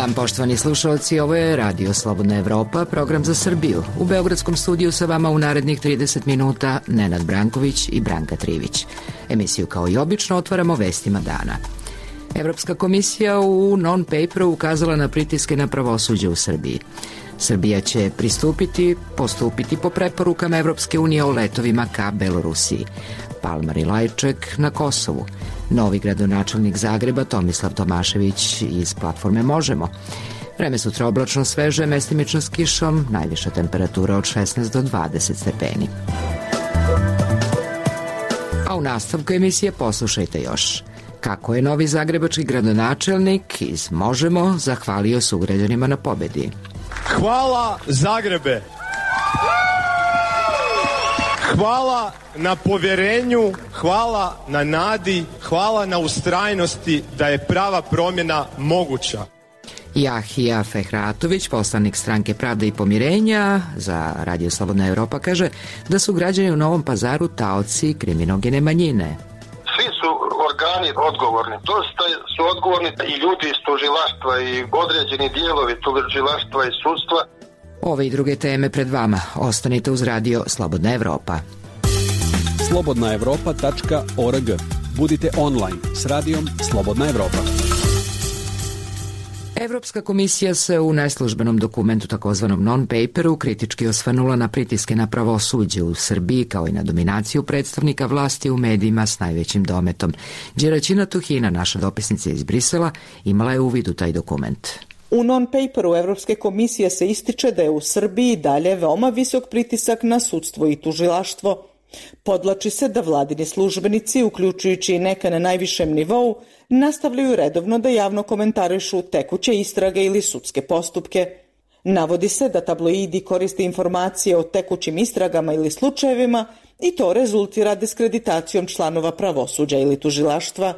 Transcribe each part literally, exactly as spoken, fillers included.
dan, poštovani slušalci, ovo je Radio Slobodna Evropa, program za Srbiju. U beogradskom studiju sa vama u narednih trideset minuta Nenad Branković i Branka Trivić. Emisiju kao i obično otvaramo vestima dana. Evropska komisija u non-paperu ukazala na pritiske na pravosuđe u Srbiji. Srbija će pristupiti, postupiti po preporukama Evropske unije o letovima ka Belorusiji. Palma Rilajček na Kosovu. Novi gradonačelnik Zagreba Tomislav Tomašević iz platforme Možemo. Vreme sutra oblačno sveže, mestimično s kišom, najviša temperatura od šesnaest do dvadeset stepeni. A u nastavku emisije poslušajte još kako je novi zagrebački gradonačelnik iz Možemo zahvalio sugrađanima na pobedi. Hvala Zagrebe! Hvala na povjerenju, hvala na nadi, hvala na ustrajnosti da je prava promjena moguća. Jahija Fehratović, poslanik Stranke Pravde i pomirenja za Radio Slobodna Evropa, kaže da su građani u Novom Pazaru taoci kriminogene manjine. Svi su organi odgovorni. Dosta su odgovorni i ljudi iz tužilaštva i određeni dijelovi tužilaštva i sudstva. Ove i druge teme pred vama. Ostanite uz Radio Slobodna Evropa. slobodna evropa tačka org. Budite online s Radijom Slobodna Evropa. Evropska komisija se u neslužbenom dokumentu, takozvanom non-paperu, kritički osvanula na pritiske na pravosuđe u Srbiji, kao i na dominaciju predstavnika vlasti u medijima s najvećim dometom. Đeraćina Tuhina, naša dopisnica iz Brisela, imala je uvid u taj dokument. U non-paperu Evropske komisije se ističe da je u Srbiji dalje veoma visok pritisak na sudstvo i tužilaštvo. Podlači se da vladini službenici, uključujući i neka na najvišem nivou, nastavljaju redovno da javno komentarišu tekuće istrage ili sudske postupke. Navodi se da tabloidi koriste informacije o tekućim istragama ili slučajevima i to rezultira diskreditacijom članova pravosuđa ili tužilaštva.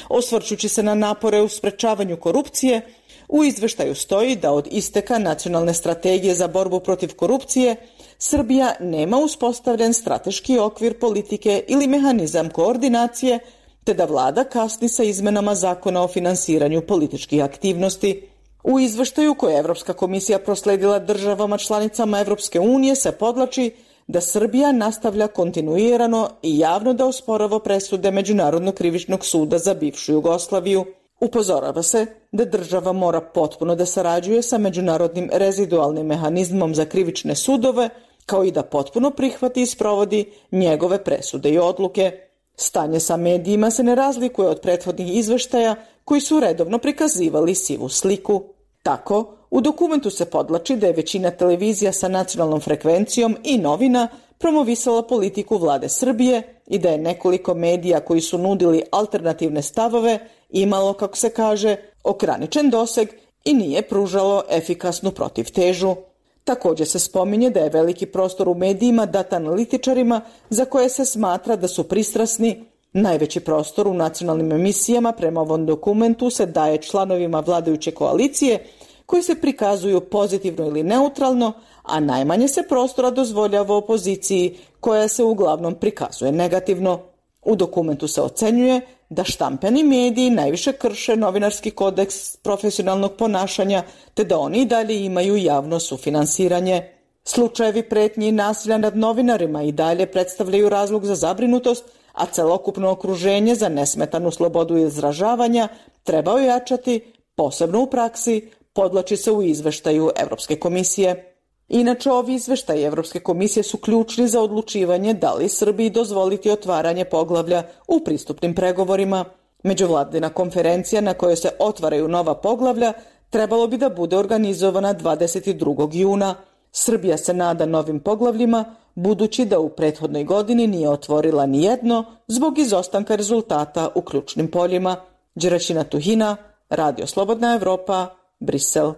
Osvrćući se na napore u sprečavanju korupcije, u izveštaju stoji da od isteka nacionalne strategije za borbu protiv korupcije Srbija nema uspostavljen strateški okvir politike ili mehanizam koordinacije, te da vlada kasni sa izmenama zakona o finansiranju političkih aktivnosti. U izveštaju koje je Evropska komisija prosledila državama članicama Evropske unije se podlači da Srbija nastavlja kontinuirano i javno da osporava presude Međunarodnog krivičnog suda za bivšu Jugoslaviju. Upozorava se da država mora potpuno da sarađuje sa Međunarodnim rezidualnim mehanizmom za krivične sudove, kao i da potpuno prihvati i sprovodi njegove presude i odluke. Stanje sa medijima se ne razlikuje od prethodnih izveštaja koji su redovno prikazivali sivu sliku. Tako, u dokumentu se podlači da je većina televizija sa nacionalnom frekvencijom i novina promovisala politiku vlade Srbije i da je nekoliko medija koji su nudili alternativne stavove imalo, kako se kaže, ograničen doseg i nije pružalo efikasnu protivtežu. Također se spominje da je veliki prostor u medijima dat analitičarima za koje se smatra da su pristrasni. Najveći prostor u nacionalnim emisijama prema ovom dokumentu se daje članovima vladajuće koalicije koji se prikazuju pozitivno ili neutralno, a najmanje se prostora dozvoljava opoziciji koja se uglavnom prikazuje negativno. U dokumentu se ocenjuje da štampani mediji najviše krše novinarski kodeks profesionalnog ponašanja, te da oni i dalje imaju javno sufinansiranje. Slučajevi pretnji i nasilja nad novinarima i dalje predstavljaju razlog za zabrinutost, a celokupno okruženje za nesmetanu slobodu izražavanja treba ojačati, posebno u praksi, podlači se u izveštaju Evropske komisije. Inače, ovi izveštaji Evropske komisije su ključni za odlučivanje da li Srbiji dozvoliti otvaranje poglavlja u pristupnim pregovorima. Međuvladina konferencija na kojoj se otvaraju nova poglavlja trebalo bi da bude organizovana dvadeset drugog juna. Srbija se nada novim poglavljima, budući da u prethodnoj godini nije otvorila ni jedno zbog izostanka rezultata u ključnim poljima. Đeraćina Tuhina, Radio Slobodna Evropa, Brisel.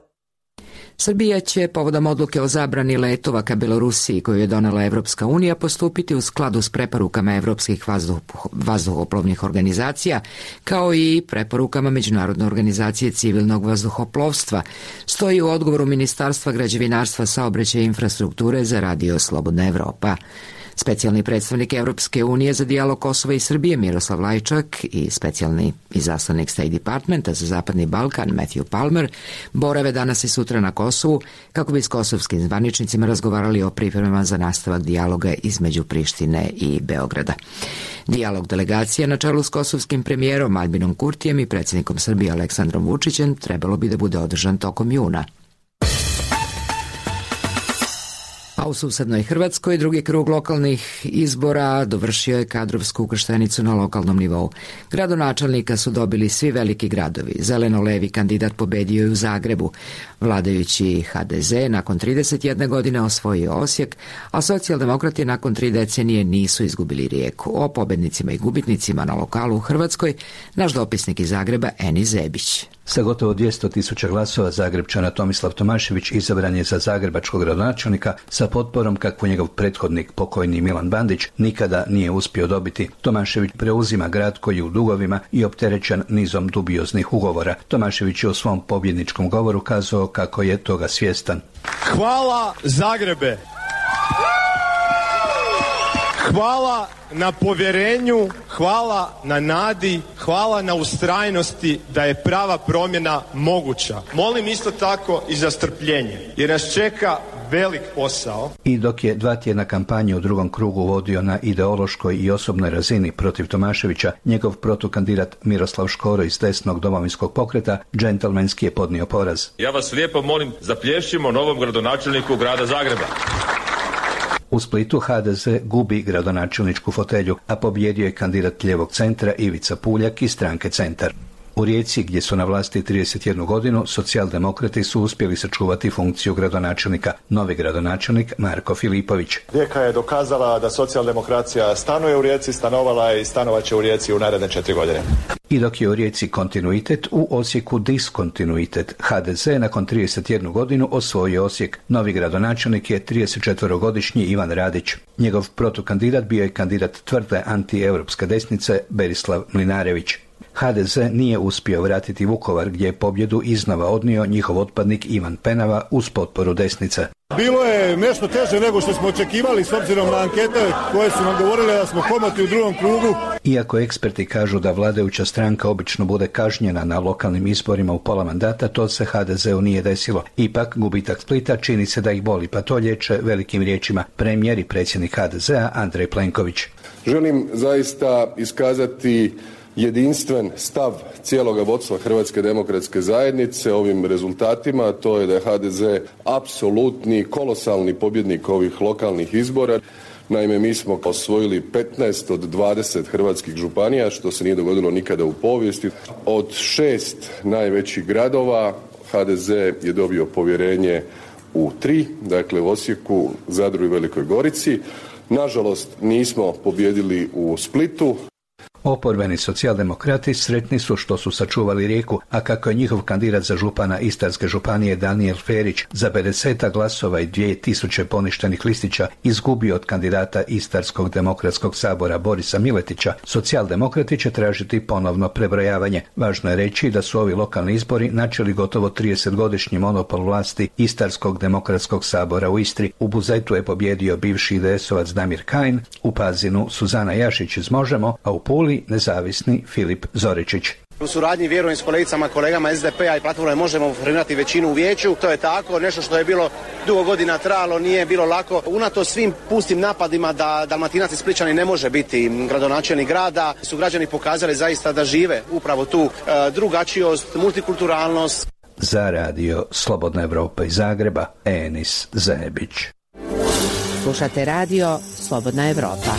Srbija će povodom odluke o zabrani letova ka Belorusiji koju je donela Evropska unija postupiti u skladu s preporukama evropskih vazduh, vazduhoplovnih organizacija, kao i preporukama Međunarodne organizacije civilnog vazduhoplovstva, stoji u odgovoru Ministarstva građevinarstva, saobraćaja i infrastrukture za Radio Slobodna Evropa. Specijalni predstavnik Evropske unije za dijalog Kosova i Srbije Miroslav Lajčak i specijalni izaslanik State Departmenta za Zapadni Balkan Matthew Palmer borave danas i sutra na Kosovu kako bi s kosovskim zvaničnicima razgovarali o pripremama za nastavak dijaloga između Prištine i Beograda. Dijalog delegacije na čelu s kosovskim premijerom Albinom Kurtijem i predsjednikom Srbije Aleksandrom Vučićem trebalo bi da bude održan tokom juna. A u susednoj Hrvatskoj drugi krug lokalnih izbora dovršio je kadrovsku ukrštenicu na lokalnom nivou. Gradonačelnika su dobili svi veliki gradovi. Zeleno-levi kandidat pobedio je u Zagrebu. Vladajući ha de ze nakon trideset jedne godine osvojio Osijek, a socijaldemokrati nakon tri decenije nisu izgubili Rijeku. O pobednicima i gubitnicima na lokalu u Hrvatskoj naš dopisnik iz Zagreba Eni Zebić. Sa gotovo dvjesto tisuća glasova Zagrepčana Tomislav Tomašević izabran je za zagrebačkog gradonačelnika sa potporom kakvu njegov prethodnik pokojni Milan Bandić nikada nije uspio dobiti. Tomašević preuzima grad koji je u dugovima i opterećen nizom dubioznih ugovora. Tomašević je u svom pobjedničkom govoru kazao kako je toga svjestan. Hvala Zagrebe! Hvala na povjerenju, hvala na nadi, hvala na ustrajnosti da je prava promjena moguća. Molim isto tako i za strpljenje, jer nas čeka velik posao. I dok je dva tjedna kampanje u drugom krugu vodio na ideološkoj i osobnoj razini protiv Tomaševića, njegov protukandidat Miroslav Škoro iz desnog Domovinskog pokreta džentlmenski je podnio poraz. Ja vas lijepo molim, zaplješćimo novom gradonačelniku grada Zagreba. U Splitu ha de ze gubi gradonačelničku fotelju, a pobjedio je kandidat lijevog centra Ivica Puljak iz stranke Centar. U Rijeci, gdje su na vlasti trideset jednu godinu, socijaldemokrati su uspjeli sačuvati funkciju gradonačelnika. Novi gradonačelnik Marko Filipović. Rijeka je dokazala da socijaldemokracija stanuje u Rijeci, stanovala je i stanovat će u Rijeci u naredne četiri godine. I dok je u Rijeci kontinuitet, u Osijeku diskontinuitet. ha de ze nakon trideset jednu godinu osvojio Osijek. Novi gradonačelnik je tridesetčetverogodišnji Ivan Radić. Njegov protukandidat bio je kandidat tvrde antieuropske desnice Berislav Mlinarević. ha de ze nije uspio vratiti Vukovar, gdje je pobjedu iznova odnio njihov otpadnik Ivan Penava uz potporu desnice. Bilo je nešto teže nego što smo očekivali s obzirom na ankete koje su nam govorile da smo komotni u drugom krugu. Iako eksperti kažu da vladajuća stranka obično bude kažnjena na lokalnim izborima u pola mandata, to se ha de zeu nije desilo. Ipak, gubitak Splita čini se da ih boli, pa to liječe velikim riječima premijer i predsjednik ha de zea Andrej Plenković. Želim zaista iskazati jedinstven stav cijeloga vodstva Hrvatske demokratske zajednice ovim rezultatima, to je da je ha de ze apsolutni, kolosalni pobjednik ovih lokalnih izbora. Naime, mi smo osvojili petnaest od dvadeset hrvatskih županija, što se nije dogodilo nikada u povijesti. Od šest najvećih gradova ha de ze je dobio povjerenje u tri, dakle u Osijeku, Zadru i Velikoj Gorici. Nažalost, nismo pobijedili u Splitu. Oporbeni socijaldemokrati sretni su što su sačuvali Rijeku, a kako je njihov kandidat za župana Istarske županije Danijel Ferić za pedeset glasova i dvije tisuće poništenih listića izgubio od kandidata Istarskog demokratskog sabora Borisa Miletića, socijaldemokrati će tražiti ponovno prebrojavanje. Važno je reći da su ovi lokalni izbori načeli gotovo tridesetgodišnji monopol vlasti Istarskog demokratskog sabora u Istri. U Buzetu je pobjedio bivši i de esovac Damir Kajin, u Pazinu Suzana Jašić iz Možemo, a u Puli nezavisni Filip Zoričić. U suradnji vjerujem s kolegicama, kolegama es de pe a i platforme možemo formirati većinu u vijeću. To je tako, nešto što je bilo dugo godina trajalo, nije bilo lako. Unato svim pustim napadima da Dalmatinac i Splićani ne može biti gradonačelnik grada, su građani pokazali zaista da žive upravo tu e, drugačijost, multikulturalnost. Za radio Slobodna Evropa iz Zagreba, Enis Zebić. Slušate radio Slobodna Evropa.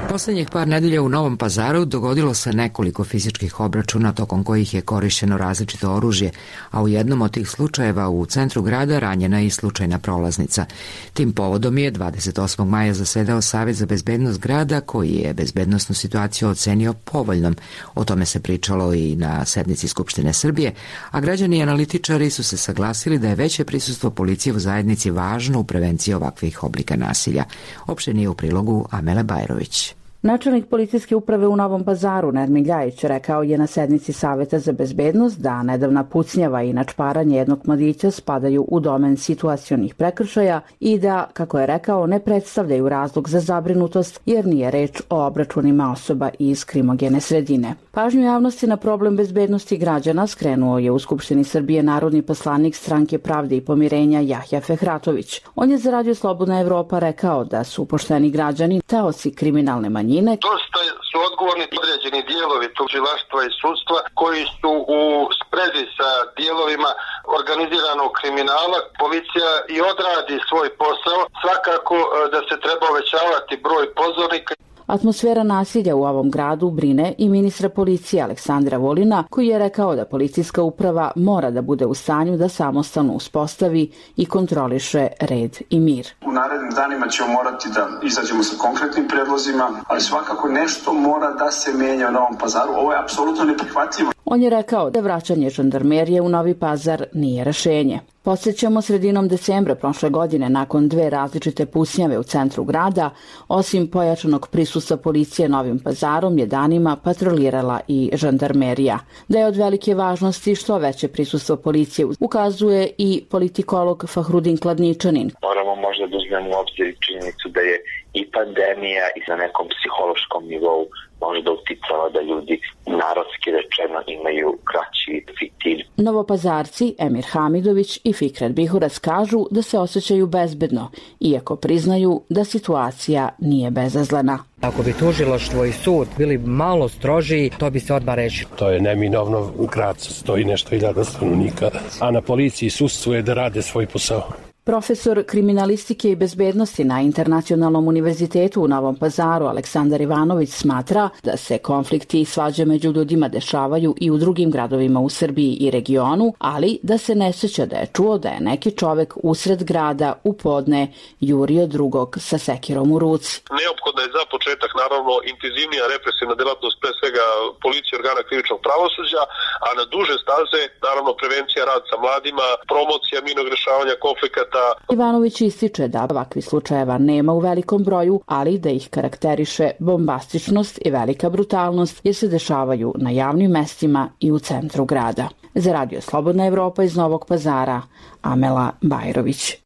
Poslednjih par nedelja u Novom Pazaru dogodilo se nekoliko fizičkih obračuna tokom kojih je korišćeno različito oružje, a u jednom od tih slučajeva u centru grada ranjena je i slučajna prolaznica. Tim povodom je dvadeset osmog maja zasedao Savet za bezbednost grada koji je bezbednosnu situaciju ocenio povoljnom. O tome se pričalo i na sednici Skupštine Srbije, a građani i analitičari su se saglasili da je veće prisustvo policije u zajednici važno u prevenciji ovakvih oblika nasilja. Opštenije u prilogu Amele Bajrović. Načelnik policijske uprave u Novom Pazaru, Nermin Ljajić, rekao je na sednici Saveta za bezbednost da nedavna pucnjava i načparanje jednog mladića spadaju u domen situacionih prekršaja i da, kako je rekao, ne predstavljaju razlog za zabrinutost jer nije reč o obračunima osoba iz krimogene sredine. Pažnju javnosti na problem bezbednosti građana skrenuo je u Skupštini Srbije narodni poslanik Stranke pravde i pomirenja Jahja Fehratović. On je za Radio Slobodna Evropa rekao da su pošteni građani taoci kriminalne manjine. Dosta su odgovorni određeni dijelovi tužilaštva i sudstva koji su u sprezi sa dijelovima organiziranog kriminala. Policija i odradi svoj posao. Svakako da se treba uvećavati broj pozornika. Atmosfera nasilja u ovom gradu brine i ministra policije Aleksandra Vulina, koji je rekao da policijska uprava mora da bude u stanju da samostalno uspostavi i kontroliše red i mir. U narednim danima ćemo morati da izađemo sa konkretnim predlozima, ali svakako nešto mora da se menja u Novom Pazaru. Ovo je apsolutno neprihvatljivo. On je rekao da vraćanje žandarmerije u Novi Pazar nije rešenje. Podsjećamo, sredinom decembra prošle godine, nakon dve različite pucnjave u centru grada, osim pojačanog prisustva policije Novim Pazarom je danima patrolirala i žandarmerija. Da je od velike važnosti što veće prisustvo policije ukazuje i politikolog Fahrudin Kladničanin. Moramo možda da uzmemo u obzir činjenicu da je i pandemija i na nekom psihološkom nivou možda uticala da ljudi narodski rečeno imaju kraći fitilj. Novopazarci Emir Hamidović i Fikret Bihurac kažu da se osjećaju bezbedno, iako priznaju da situacija nije bezazlena. Ako bi tužilaštvo i sud bili malo strožiji, to bi se odmah reći. To je neminovno, grad stoji nešto hiljada stanovnika, a na policiji i sudstvu je da rade svoj posao. Profesor kriminalistike i bezbednosti na Internacionalnom univerzitetu u Novom Pazaru Aleksandar Ivanović smatra da se konflikti i svađe među ljudima dešavaju i u drugim gradovima u Srbiji i regionu, ali da se ne sjeća da je čuo da je neki čovek usred grada u podne jurio drugog sa sekirom u ruci. Neophodna je za početak naravno intenzivnija represivna delatnost pre svega policije organa krivičnog pravosuđa, a na duže staze naravno prevencija rad sa mladima, promocija mirnog rešavanja konflikata. Ivanović ističe da ovakvih slučajeva nema u velikom broju, ali da ih karakteriše bombastičnost i velika brutalnost jer se dešavaju na javnim mestima i u centru grada. Za Radio Slobodna Evropa iz Novog Pazara, Amela Bajrović.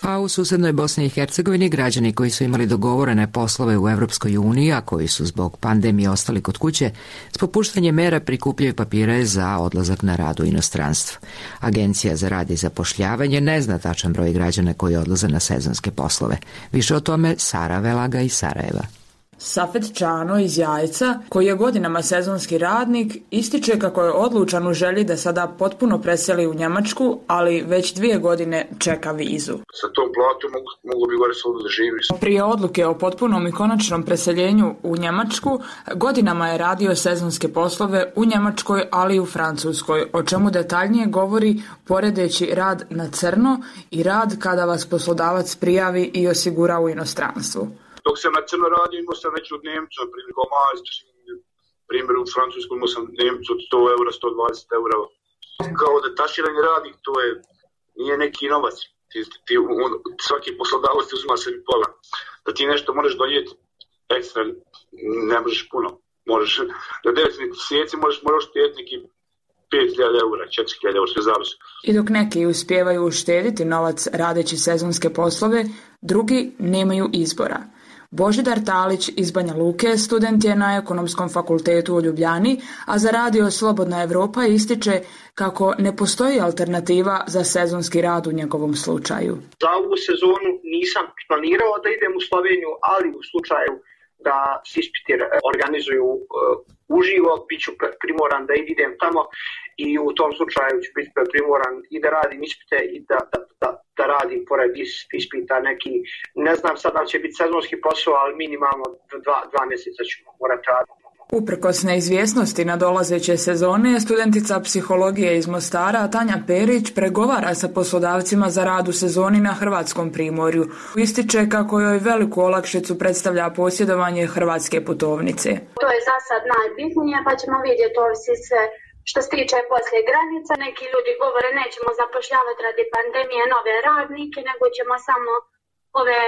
A u susednoj Bosni i Hercegovini građani koji su imali dogovorene poslove u Evropskoj uniji, a koji su zbog pandemije ostali kod kuće, s popuštanjem mera prikupljaju papire za odlazak na rad u inostranstvo. Agencija za rad i zapošljavanje ne zna tačan broj građana koji odlaze na sezonske poslove. Više o tome Sara Velaga iz Sarajeva. Safet Čano iz Jajca, koji je godinama sezonski radnik, ističe kako je odlučan u želji da sada potpuno preseli u Njemačku, ali već dvije godine čeka vizu. Sa tom platom mogu, mogu bi gore slobodno da živi. Prije odluke o potpunom i konačnom preseljenju u Njemačku, godinama je radio sezonske poslove u Njemačkoj, ali i u Francuskoj, o čemu detaljnije govori poredeći rad na crno i rad kada vas poslodavac prijavi i osigura u inostranstvu. Dok sam na crno radio, imao sam već od Nemca, primjer kao majstor, primjer u Francusku imao sam Nemcu od sto eura, sto dvadeset eura. Kao detaširani radnik, to je, nije neki novac. Ti, ti, on, svaki poslodavac ti uzima sebi pola. Da ti nešto možeš donijeti ekstra, ne možeš puno. Možeš, da devet mjeseci možeš, možeš štediti neki pet hiljada eura, četiri hiljade eura, sve zavisi. I dok neki uspijevaju uštediti novac radeći sezonske poslove, drugi nemaju izbora. Božidar Talić iz Banja Luke student je na Ekonomskom fakultetu u Ljubljani, a za Radio Slobodna Evropa ističe kako ne postoji alternativa za sezonski rad u njegovom slučaju. Za ovu sezonu nisam planirao da idem u Sloveniju, ali u slučaju da se ispiti organizuju uh, uživo, bit ću primoran da idem tamo i u tom slučaju ću biti primoran i da radim ispite i da, da, da, da radim pored ispita neki, ne znam sad da će biti sezonski posao, ali minimalno dva, dva mjeseca ću morati raditi. Uprkos neizvjesnosti nadolazeće sezone, studentica psihologije iz Mostara Tanja Perić pregovara sa poslodavcima za rad u sezoni na hrvatskom primorju. Ističe kako joj veliku olakšicu predstavlja posjedovanje hrvatske putovnice. To je za sad najbitnije, pa ćemo vidjeti ovisi sve što se tiče poslije granica. Neki ljudi govore nećemo zapošljavati radi pandemije nove radnike, nego ćemo samo ove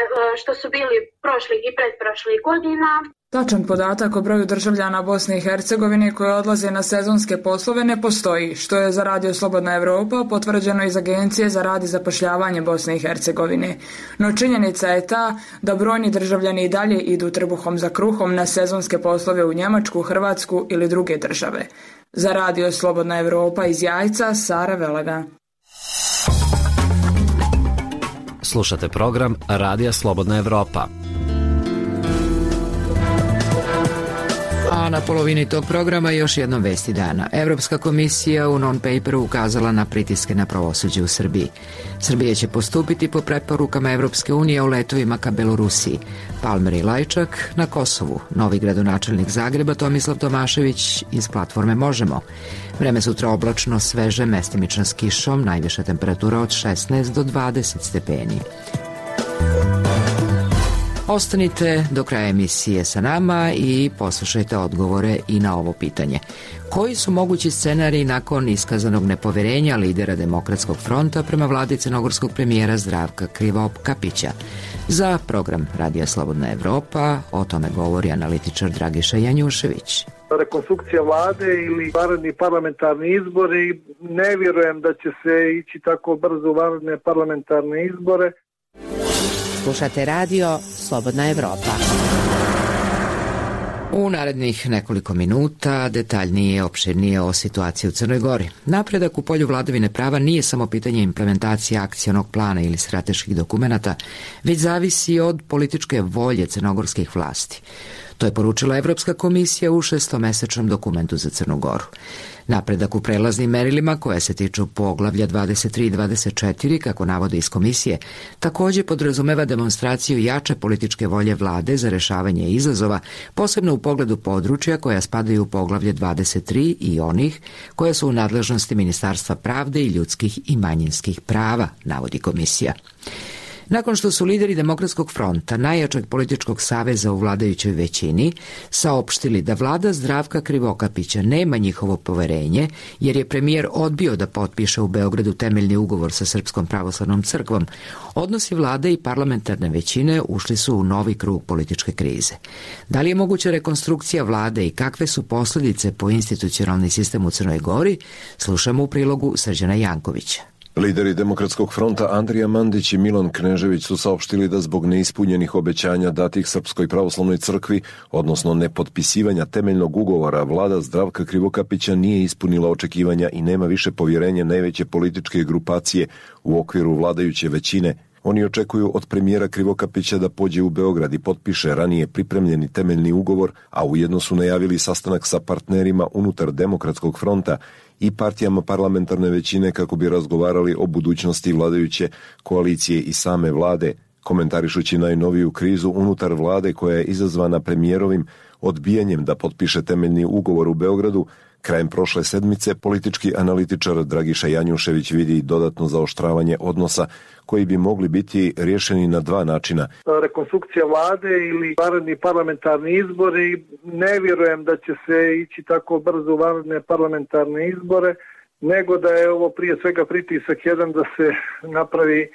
što su bili prošlih i pretprošlih godina. Tačan podatak o broju državljana Bosne i Hercegovine koji odlaze na sezonske poslove ne postoji, što je za Radio Slobodna Evropa potvrđeno iz Agencije za rad i zapošljavanje Bosne i Hercegovine. No činjenica je ta da brojni državljani i dalje idu trbuhom za kruhom na sezonske poslove u Njemačku, Hrvatsku ili druge države. Za Radio Slobodna Evropa iz Jajca, Sara Velaga. Slušate program Radija Slobodna Evropa. A na polovini tog programa još jednom vesti dana. Evropska komisija u non-paperu ukazala na pritiske na pravosuđe u Srbiji. Srbija će postupiti po preporukama Evropske unije o letovima ka Belorusiji. Palmer i Lajčak na Kosovu. Novi gradonačelnik Zagreba Tomislav Tomašević iz platforme Možemo. Vreme sutra oblačno, sveže, mestimično s kišom, najviša temperatura od šesnaest do dvadeset stepeni. Ostanite do kraja emisije sa nama i poslušajte odgovore i na ovo pitanje. Koji su mogući scenariji nakon iskazanog nepoverenja lidera Demokratskog fronta prema vladi crnogorskog premijera Zdravka Krivokapića? Za program Radija Slobodna Evropa o tome govori analitičar Dragiša Janjušević. Rekonstrukcija vlade ili vanredni parlamentarni izbori, ne vjerujem da će se ići tako brzo u vanredne parlamentarne izbore. Slušate Radio Slobodna Evropa. U narednih nekoliko minuta detaljnije, opširnije o situaciji u Crnoj Gori. Napredak u polju vladavine prava nije samo pitanje implementacije akcionog plana ili strateških dokumenata, već zavisi od političke volje crnogorskih vlasti. To je poručila Evropska komisija u šestomesečnom dokumentu za Crnu Goru. Napredak u prelaznim merilima koje se tiču poglavlja dvadeset tri i dvadeset četiri, kako navode iz komisije, također podrazumeva demonstraciju jače političke volje vlade za rešavanje izazova, posebno u pogledu područja koja spadaju u poglavlje dvadeset tri i onih koje su u nadležnosti Ministarstva pravde i ljudskih i manjinskih prava, navodi komisija. Nakon što su lideri Demokratskog fronta, najjačeg političkog saveza u vladajućoj većini, saopštili da vlada Zdravka Krivokapića nema njihovo poverenje, jer je premijer odbio da potpiše u Beogradu temeljni ugovor sa Srpskom pravoslavnom crkvom, odnosi vlade i parlamentarne većine ušli su u novi krug političke krize. Da li je moguća rekonstrukcija vlade i kakve su posljedice po institucionalni sistem u Crnoj Gori, slušamo u prilogu Srđana Jankovića. Lideri Demokratskog fronta Andrija Mandić i Milan Knežević su saopštili da zbog neispunjenih obećanja datih Srpskoj pravoslavnoj crkvi, odnosno nepotpisivanja temeljnog ugovora, vlada Zdravka Krivokapića nije ispunila očekivanja i nema više povjerenja najveće političke grupacije u okviru vladajuće većine. Oni očekuju od premijera Krivokapića da pođe u Beograd i potpiše ranije pripremljeni temeljni ugovor, a ujedno su najavili sastanak sa partnerima unutar Demokratskog fronta i partijama parlamentarne većine kako bi razgovarali o budućnosti vladajuće koalicije i same vlade, komentarišući najnoviju krizu unutar vlade koja je izazvana premijerovim odbijanjem da potpiše temeljni ugovor u Beogradu. Krajem prošle sedmice politički analitičar Dragiša Janjušević vidi dodatno zaoštravanje odnosa koji bi mogli biti rješeni na dva načina. Rekonstrukcija vlade ili vanredni parlamentarni izbori, ne vjerujem da će se ići tako brzo u vanredne parlamentarne izbore, nego da je ovo prije svega pritisak jedan da se napravi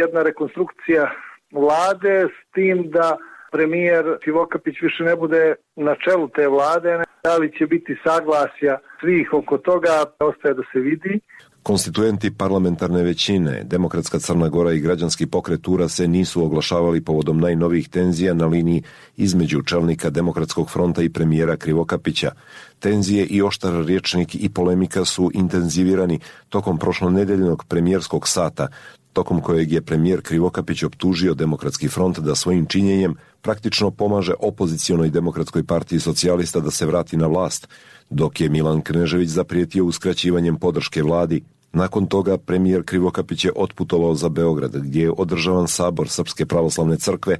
jedna rekonstrukcija vlade s tim da premijer Krivokapić više ne bude na čelu te vlade. Da li će biti saglasja svih oko toga, ostaje da se vidi. Konstituenti parlamentarne većine, Demokratska Crna Gora i Građanski pokret U R A se nisu oglašavali povodom najnovijih tenzija na liniji između čelnika Demokratskog fronta i premijera Krivokapića. Tenzije i oštar rječnik i polemika su intenzivirani tokom prošlonedeljnog premijerskog sata, tokom kojeg je premijer Krivokapić optužio Demokratski front da svojim činjenjem praktično pomaže opozicionoj Demokratskoj partiji socijalista da se vrati na vlast, dok je Milan Knežević zaprijetio uskraćivanjem podrške vladi. Nakon toga premijer Krivokapić je otputovao za Beograd, gdje je održavan sabor Srpske pravoslavne crkve,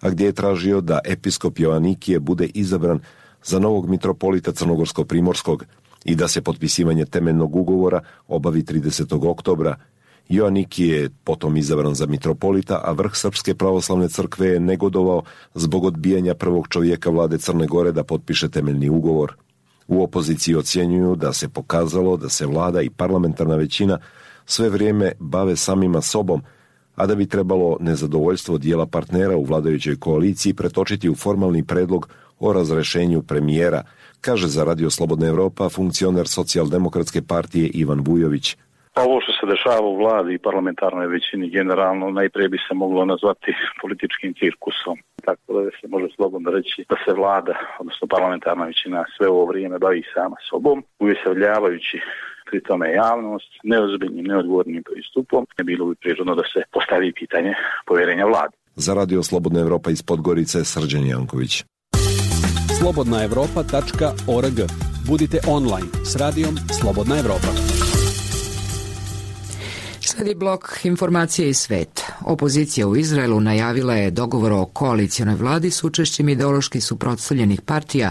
a gdje je tražio da episkop Joanikije bude izabran za novog mitropolita Crnogorsko-Primorskog i da se potpisivanje temeljnog ugovora obavi tridesetog oktobra. Joanikije je potom izabran za mitropolita, a vrh Srpske pravoslavne crkve je negodovao zbog odbijanja prvog čovjeka vlade Crne Gore da potpiše temeljni ugovor. U opoziciji ocjenjuju da se pokazalo da se vlada i parlamentarna većina sve vrijeme bave samima sobom, a da bi trebalo nezadovoljstvo dijela partnera u vladajućoj koaliciji pretočiti u formalni predlog o razrešenju premijera, kaže za Radio Slobodna Evropa funkcioner Socijaldemokratske partije Ivan Vujović. Ovo što se dešava u vladi i parlamentarnoj većini generalno najprije bi se moglo nazvati političkim cirkusom. Tako da se može slobodno reći da se vlada, odnosno parlamentarna većina, sve ovo vrijeme bavi sama sobom, uvjeselljavajući pri tome javnost neozbiljnim, neodgovornim pristupom. Ne bilo bi prirodno da se postavi pitanje povjerenja vladi. Za Radio Slobodna Evropa iz Podgorice, Srđan Janković. slobodna evropa tačka org. Budite online s radijom Slobodna Evropa. Sledi blok informacije iz sveta. Opozicija u Izraelu najavila je dogovor o koalicionoj vladi s učešćem ideološki suprotstavljenih partija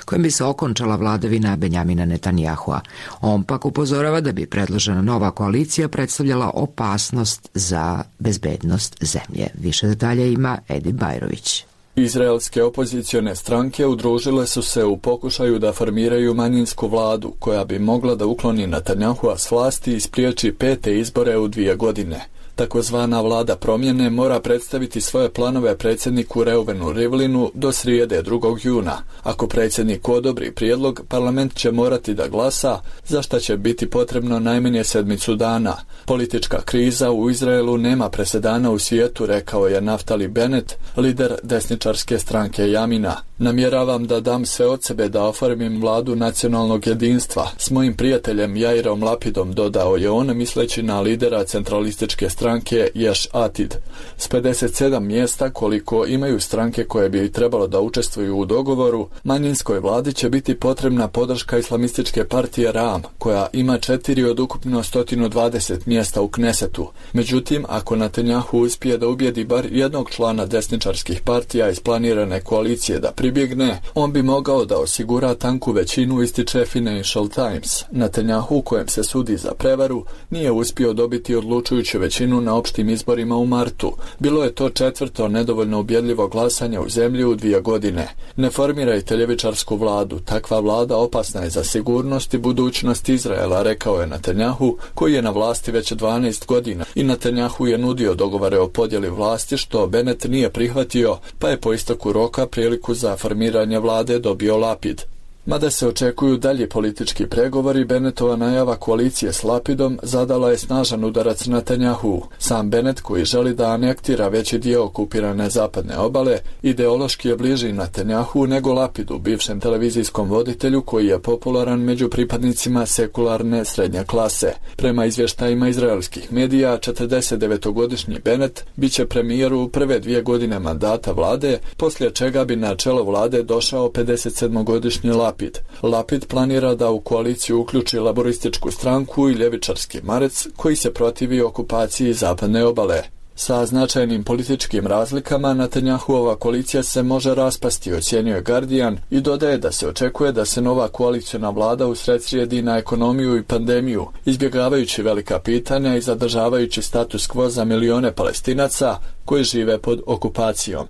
kojim bi se okončala vladavina Benjamina Netanjahua. On pak upozorava da bi predložena nova koalicija predstavljala opasnost za bezbednost zemlje. Više detalja ima Edi Bajrović. Izraelske opozicione stranke udružile su se u pokušaju da formiraju manjinsku vladu koja bi mogla da ukloni Netanjahua s vlasti i spriječi pete izbore u dvije godine. Takozvana vlada promjene mora predstaviti svoje planove predsjedniku Reuvenu Rivlinu do srijede drugog juna. Ako predsjednik odobri prijedlog, parlament će morati da glasa, za šta će biti potrebno najmanje sedmicu dana. Politička kriza u Izraelu nema presedana u svijetu, rekao je Naftali Bennett, lider desničarske stranke Jamina. Namjeravam da dam sve od sebe da oformim vladu nacionalnog jedinstva s mojim prijateljem Jairom Lapidom, dodao je on misleći na lidera centralističke stranke Ješ Atid. S pedeset sedam mjesta koliko imaju stranke koje bi trebalo da učestvuju u dogovoru, manjinskoj vladi će biti potrebna podrška islamističke partije Ram, koja ima četiri od ukupno sto dvadeset mjesta u Knesetu. Međutim, ako Netanjahu uspije da ubijedi bar jednog člana desničarskih partija iz planirane koalicije da pribjegne, on bi mogao da osigura tanku većinu, ističe Financial Times. Netanjahu, kojem se sudi za prevaru, nije uspio dobiti odlučujuću većinu na opštim izborima u martu. Bilo je to četvrto nedovoljno ubjedljivo glasanje u zemlji u dvije godine. Ne formirajte ljevičarsku vladu, takva vlada opasna je za sigurnost i budućnost Izraela, rekao je Netanjahu, koji je na vlasti već dvanaest godina, i Netanjahu je nudio dogovore o podjeli vlasti, što Bennett nije prihvatio, pa je po isteku roka priliku za formiranje vlade dobio Lapid. Mada se očekuju dalji politički pregovori, Bennettova najava koalicije s Lapidom zadala je snažan udarac Netanjahu. Sam Bennett, koji želi da anektira veći dio okupirane zapadne obale, ideološki je bliži Netanjahu nego Lapidu, bivšem televizijskom voditelju koji je popularan među pripadnicima sekularne srednje klase. Prema izvještajima izraelskih medija, četrdesetdevetogodišnji Bennett biće premijer u prve dvije godine mandata vlade, poslije čega bi na čelo vlade došao pedesetsedmogodišnji Lapid. Lapid. Lapid planira da u koaliciju uključi laborističku stranku i ljevičarski Marec, koji se protivi okupaciji zapadne obale. Sa značajnim političkim razlikama Netanjahuova koalicija se može raspasti, ocjenjuje Guardian, i dodaje da se očekuje da se nova koaliciona vlada usredsrijedi na ekonomiju i pandemiju, izbjegavajući velika pitanja i zadržavajući status quo za milione Palestinaca koji žive pod okupacijom.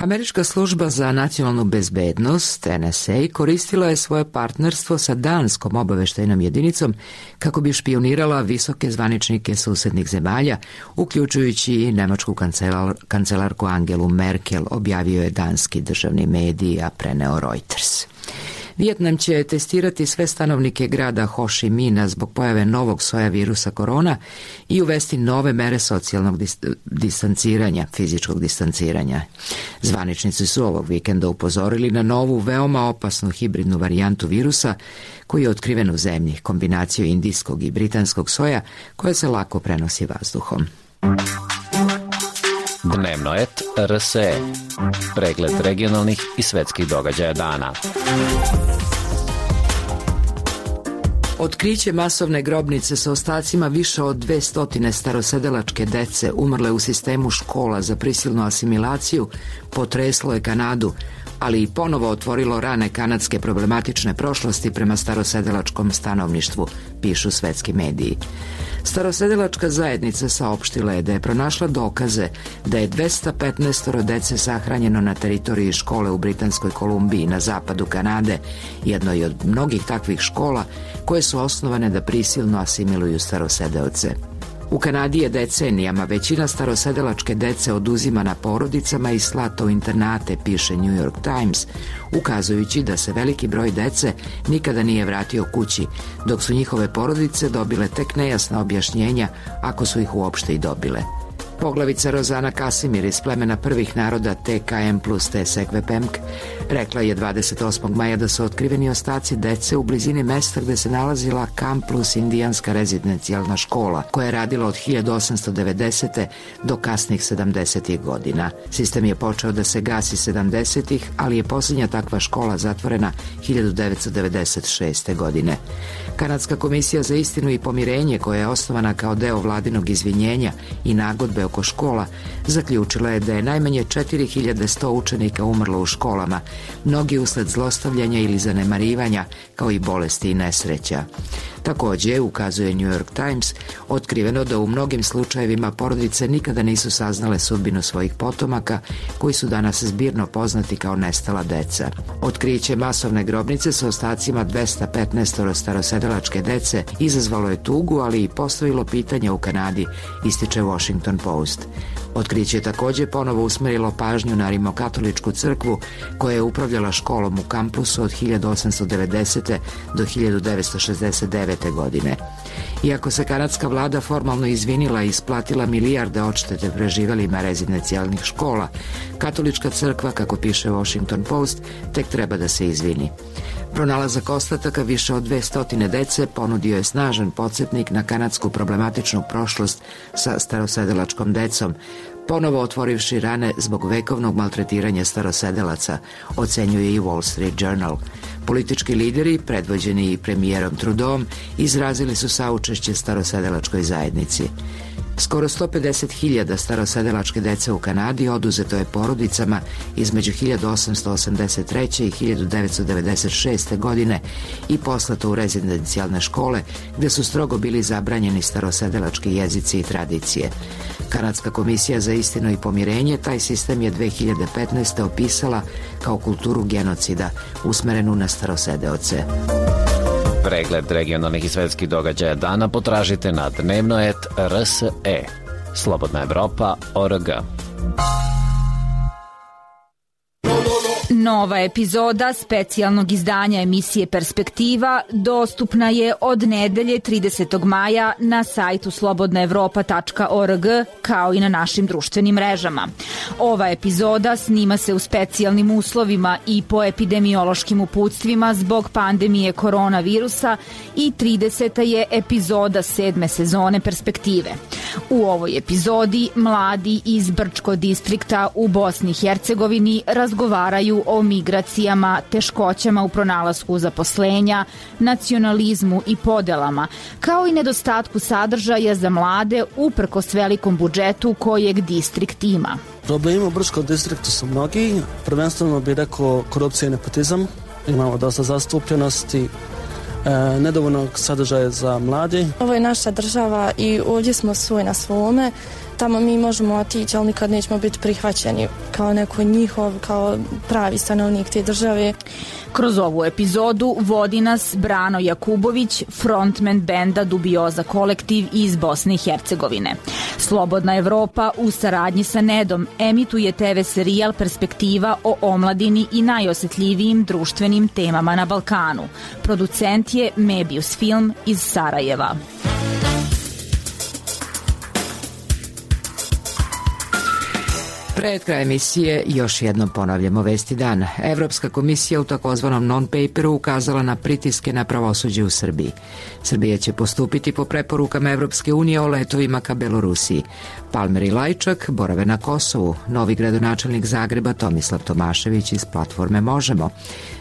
Američka služba za nacionalnu bezbednost, N S A, koristila je svoje partnerstvo sa danskom obaveštajnom jedinicom kako bi špionirala visoke zvaničnike susednih zemalja, uključujući i nemačku kancelar, kancelarku Angelu Merkel, objavio je danski državni medij, a preneo Reuters. Vijetnam će testirati sve stanovnike grada Ho Chi Mina zbog pojave novog soja virusa korona i uvesti nove mere socijalnog dis- distanciranja, fizičkog distanciranja. Zvaničnici su ovog vikenda upozorili na novu, veoma opasnu hibridnu varijantu virusa koji je otkriven u zemlji, kombinaciju indijskog i britanskog soja koja se lako prenosi vazduhom. Dnevno et R S E. Pregled regionalnih i svetskih događaja dana. Otkriće masovne grobnice sa ostacima više od dve stotine starosedelačke dece umrle u sistemu škola za prisilnu asimilaciju potreslo je Kanadu, ali i ponovo otvorilo rane kanadske problematične prošlosti prema starosedelačkom stanovništvu, pišu svetski mediji. Starosedelačka zajednica saopštila je da je pronašla dokaze da je dvesta petnaest dece sahranjeno na teritoriji škole u Britanskoj Kolumbiji na zapadu Kanade, jednoj od mnogih takvih škola koje su osnovane da prisilno asimiluju starosedeoce. U Kanadi je decenijama većina starosedelačke dece oduzimana porodicama i slata u internate, piše New York Times, ukazujući da se veliki broj dece nikada nije vratio kući, dok su njihove porodice dobile tek nejasna objašnjenja, ako su ih uopšte i dobile. Poglavica Rozana Kasimir iz plemena prvih naroda T K M plus T Sekvepemk rekla je dvadeset osmog maja da su otkriveni ostaci dece u blizini mesta gde se nalazila Camp plus indijanska rezidencijalna škola, koja je radila od hiljadu osamsto devedesete do kasnih sedamdesetih godina. Sistem je počeo da se gasi sedamdesetih, ali je posljednja takva škola zatvorena hiljadu devetsto devedeset šeste. godine. Kanadska komisija za istinu i pomirenje, koja je osnovana kao deo vladinog izvinjenja i nagodbe oko škola, zaključila je da je najmanje četiri hiljade sto učenika umrlo u školama, mnogi usled zlostavljanja ili zanemarivanja, kao i bolesti i nesreća. Takođe, ukazuje New York Times, otkriveno da u mnogim slučajevima porodice nikada nisu saznale sudbinu svojih potomaka, koji su danas zbirno poznati kao nestala deca. Otkriće masovne grobnice sa ostacima dvesta petnaest starosedelačke dece izazvalo je tugu, ali i postavilo pitanje u Kanadi, ističe Washington Post. Otkriće je takođe ponovo usmerilo pažnju na rimokatoličku crkvu, koja je upravljala školom u kampusu od hiljadu osamsto devedesete. do hiljadu devetsto šezdeset devete. godine. Iako se kanadska vlada formalno izvinila i isplatila milijarde odštete preživelima rezidencijalnih škola, katolička crkva, kako piše Washington Post, tek treba da se izvini. Pronalazak ostataka više od dvesta dece ponudio je snažan podsjetnik na kanadsku problematičnu prošlost sa starosedelačkom decom, ponovo otvorivši rane zbog vekovnog maltretiranja starosedelaca, ocenjuje i Wall Street Journal. Politički lideri, predvođeni i premijerom Trudeauom, izrazili su saučešće starosedelačkoj zajednici. Skoro sto pedeset hiljada starosedelačke dece u Kanadi oduzeto je porodicama između hiljadu osamsto osamdeset treće. i hiljadu devetsto devedeset šeste. godine i poslato u rezidencijalne škole, gde su strogo bili zabranjeni starosedelački jezici i tradicije. Kanadska komisija za istinu i pomirenje taj sistem je dve hiljade petnaeste. opisala kao kulturu genocida usmerenu na starosedeoce. Pregled regionalnih i svetskih događaja dana potražite na dnevnoet R S E. Slobodna Evropa O R G. Nova epizoda specijalnog izdanja emisije Perspektiva dostupna je od nedelje tridesetog maja na sajtu slobodna evropa tačka org, kao i na našim društvenim mrežama. Ova epizoda snima se u specijalnim uslovima i po epidemiološkim uputstvima zbog pandemije koronavirusa i trideseta je epizoda sedme sezone Perspektive. U ovoj epizodi mladi iz Brčko distrikta u Bosni i Hercegovini razgovaraju o migracijama, teškoćama u pronalasku zaposlenja, nacionalizmu i podelama, kao i nedostatku sadržaja za mlade uprkos velikom budžetu kojeg distrikt ima. Problemi u Brčkom distriktu su mnogi, prvenstveno bih rekao korupcija i nepotizam, imamo dosta zastupljenosti, E, nedovoljnog sadržaja za mladi. Ovo je naša država i ovdje smo svoj na svome. Tamo mi možemo otići, ali nikad nećemo biti prihvaćeni kao neko njihov, kao pravi stanovnik te države. Kroz ovu epizodu vodi nas Brano Jakubović, frontman benda Dubioza kolektiv iz Bosne i Hercegovine. Slobodna Evropa u saradnji sa Nedom emituje te ve serijal Perspektiva o omladini i najosetljivijim društvenim temama na Balkanu. Producent je Mebius Film iz Sarajeva. Pred kraj emisije još jednom ponavljamo vesti dana. Evropska komisija u takozvanom non-paperu ukazala na pritiske na pravosuđe u Srbiji. Srbija će postupiti po preporukama Evropske unije o letovima ka Belorusiji. Palmer i Lajčak borave na Kosovu. Novi gradonačelnik Zagreba Tomislav Tomašević iz platforme Možemo.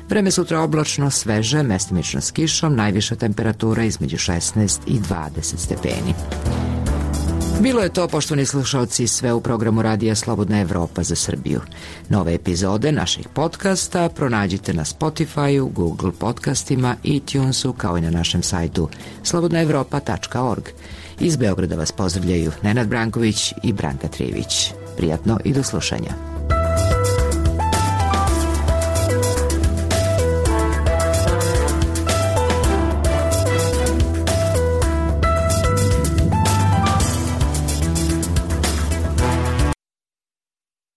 Vreme sutra oblačno, sveže, mestimično s kišom, najviša temperatura između šesnaest i dvadeset stepeni. Bilo je to, poštovani slušalci, sve u programu Radija Slobodna Evropa za Srbiju. Nove epizode naših podcasta pronađite na Spotify-u, Google podcastima, iTunesu, kao i na našem sajtu slobodna evropa tačka org. Iz Beograda vas pozdravljaju Nenad Branković i Branka Trivić. Prijatno i do slušanja.